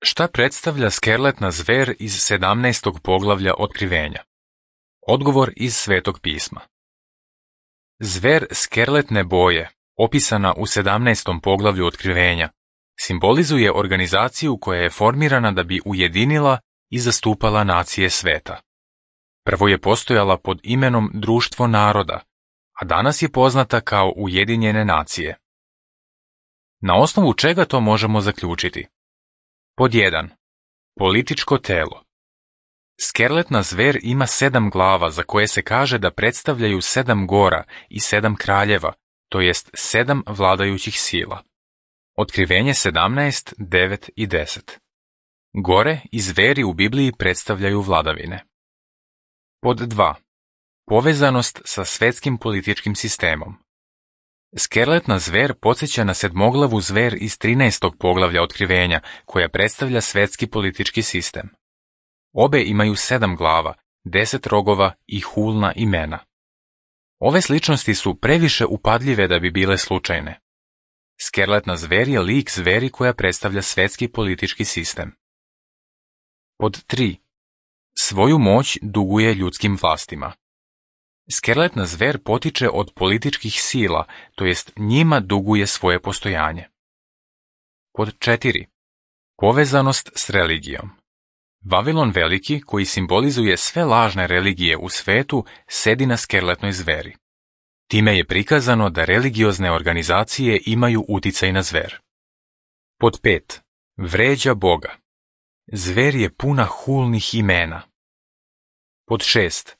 Šta predstavlja skerletna zver iz 17. poglavlja Otkrivenja? Odgovor iz Svetog pisma. Zver skerletne boje, opisana u 17. poglavlju Otkrivenja, simbolizuje organizaciju koja je formirana da bi ujedinila i zastupala nacije sveta. Prvo je postojala pod imenom Društvo naroda, a danas je poznata kao Ujedinjene nacije. Na osnovu čega to možemo zaključiti? Pod 1. Političko telo. Skerletna zver ima 7 glava za koje se kaže da predstavljaju 7 gora i 7 kraljeva, to jest 7 vladajućih sila. Otkrivenje 17, 9 i 10. Gore i zveri u Bibliji predstavljaju vladavine. Pod 2. Povezanost sa svetskim političkim sistemom. Skerletna zver podsjeća na sedmoglavu zver iz 13. poglavlja Otkrivenja, koja predstavlja svetski politički sistem. Obe imaju 7 glava, 10 rogova i hulna imena. Ove sličnosti su previše upadljive da bi bile slučajne. Skerletna zver je lik zveri koja predstavlja svetski politički sistem. Pod 3. Svoju moć duguje ljudskim vlastima. Skerletna zver potiče od političkih sila, to jest njima duguje svoje postojanje. Pod 4. Povezanost s religijom. Vavilon Veliki, koji simbolizuje sve lažne religije u svetu, sedi na skerletnoj zveri. Time je prikazano da religiozne organizacije imaju uticaj na zver. Pod 5. Vređa Boga. Zver je puna hulnih imena. Pod 6.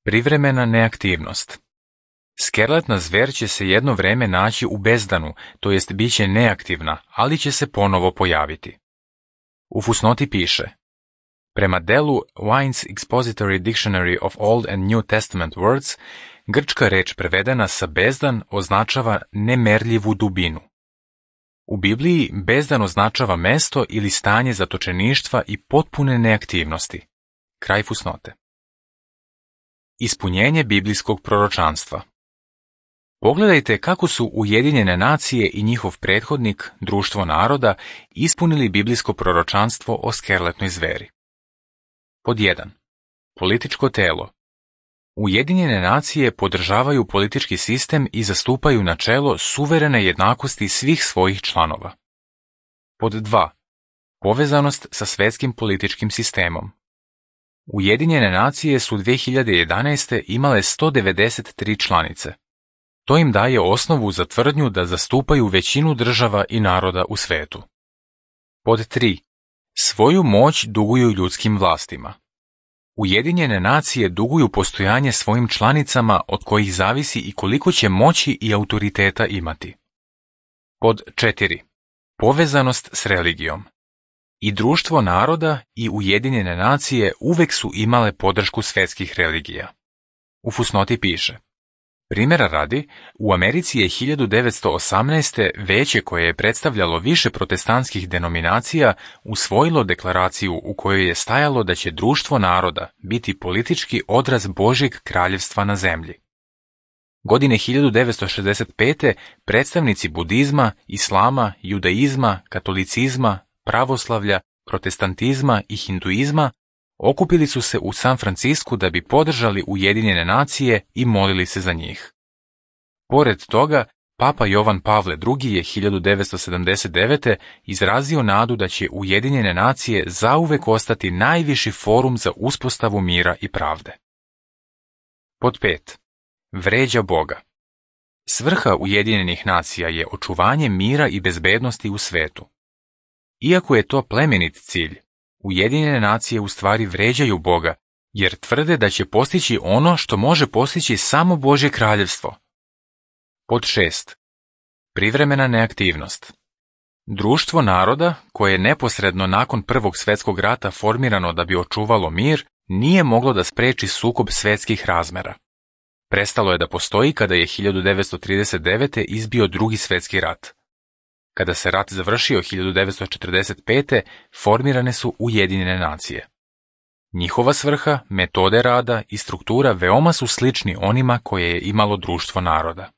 Privremena neaktivnost. Skerletna zver će se jedno vreme naći u bezdanu, to jest bit će neaktivna, ali će se ponovo pojaviti. U fusnoti piše: prema delu Wine's Expository Dictionary of Old and New Testament Words, grčka reč prevedena sa bezdan označava nemerljivu dubinu. U Bibliji bezdan označava mesto ili stanje zatočeništva i potpune neaktivnosti. Kraj fusnote. Ispunjenje biblijskog proročanstva. Pogledajte kako su Ujedinjene nacije i njihov prethodnik, Društvo naroda, ispunili biblijsko proročanstvo o skerletnoj zveri. Pod 1. Političko telo. Ujedinjene nacije podržavaju politički sistem i zastupaju načelo suverene jednakosti svih svojih članova. Pod 2. Povezanost sa svetskim političkim sistemom. Ujedinjene nacije su 2011. imale 193 članice. To im daje osnovu za tvrdnju da zastupaju većinu država i naroda u svetu. Pod 3. Svoju moć duguju ljudskim vlastima. Ujedinjene nacije duguju postojanje svojim članicama od kojih zavisi i koliko će moći i autoriteta imati. Pod 4. Povezanost s religijom. I Društvo naroda i Ujedinjene nacije uvek su imale podršku svetskih religija. U fusnoti piše: primjera radi, u Americi je 1918. veće koje je predstavljalo više protestantskih denominacija usvojilo deklaraciju u kojoj je stajalo da će Društvo naroda biti politički odraz Božjeg kraljevstva na zemlji. Godine 1965. predstavnici budizma, islama, judaizma, katolicizma, pravoslavlja, protestantizma i hinduizma okupili su se u San Francisku da bi podržali Ujedinjene nacije i molili se za njih. Pored toga, Papa Jovan Pavle II. Je 1979. izrazio nadu da će Ujedinjene nacije zauvek ostati najviši forum za uspostavu mira i pravde. Pod 5. Vređa Boga. Svrha Ujedinjenih nacija je očuvanje mira i bezbednosti u svetu. Iako je to plemenit cilj, Ujedinjene nacije u stvari vređaju Boga, jer tvrde da će postići ono što može postići samo Božje kraljevstvo. Pod 6. Privremena neaktivnost. Društvo naroda, koje je neposredno nakon Prvog svjetskog rata formirano da bi očuvalo mir, nije moglo da spreči sukob svetskih razmera. Prestalo je da postoji kada je 1939. izbio Drugi svjetski rat. Kada se rat završio 1945. formirane su Ujedinjene nacije. Njihova svrha, metode rada i struktura veoma su slični onima koje je imalo Društvo naroda.